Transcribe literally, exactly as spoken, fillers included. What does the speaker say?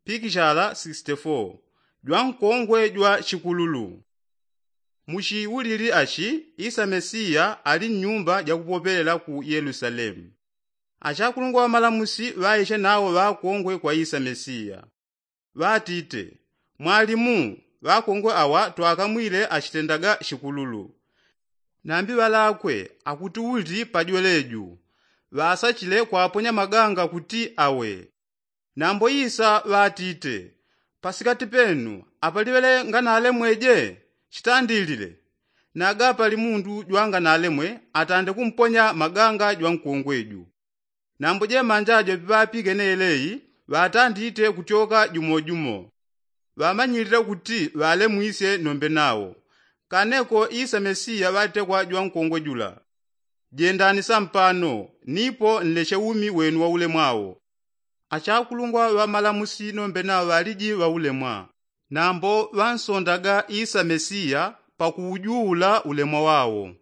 pikishala sixty-four. Jwankongwe jwa chikululu. Muchiwulili achi isa mesiya ali nnyumba jakupopelela ku yelusalemu. Achakulungwa ŵamalamusi ŵaishe nawo ŵakongwe kwa isa mesiya, ŵatite, mwalimu, ŵakongwe awa twakamwile achitendaga chikululu. Nambi ŵalakwe akuti uli pajweleju ŵasachile kwaponya maganga kuti awe. Nambo isa ŵatite, pasikati penu apaliŵele nganalemweje? Chitandilile. Naga pali mundu jwanganalemwe atande kumponya maganga jwankongweju. Nambo jemanja jope ŵapigene yeleyi ŵatandite kutyoka jumojumo. Ŵamanyilile kuti ŵalemwisye nombe nawo. Kaneko isa mesiya ŵatekwa jwankongwe jula, jendani sampano nipo nleshe umi wenu waulemwa wo. Achakulungwa ŵamalamusi nombe nawo ŵaliji ŵaulemwa. Nambo ŵansondaga isa mesiya pakuujuula ulemwa wawo.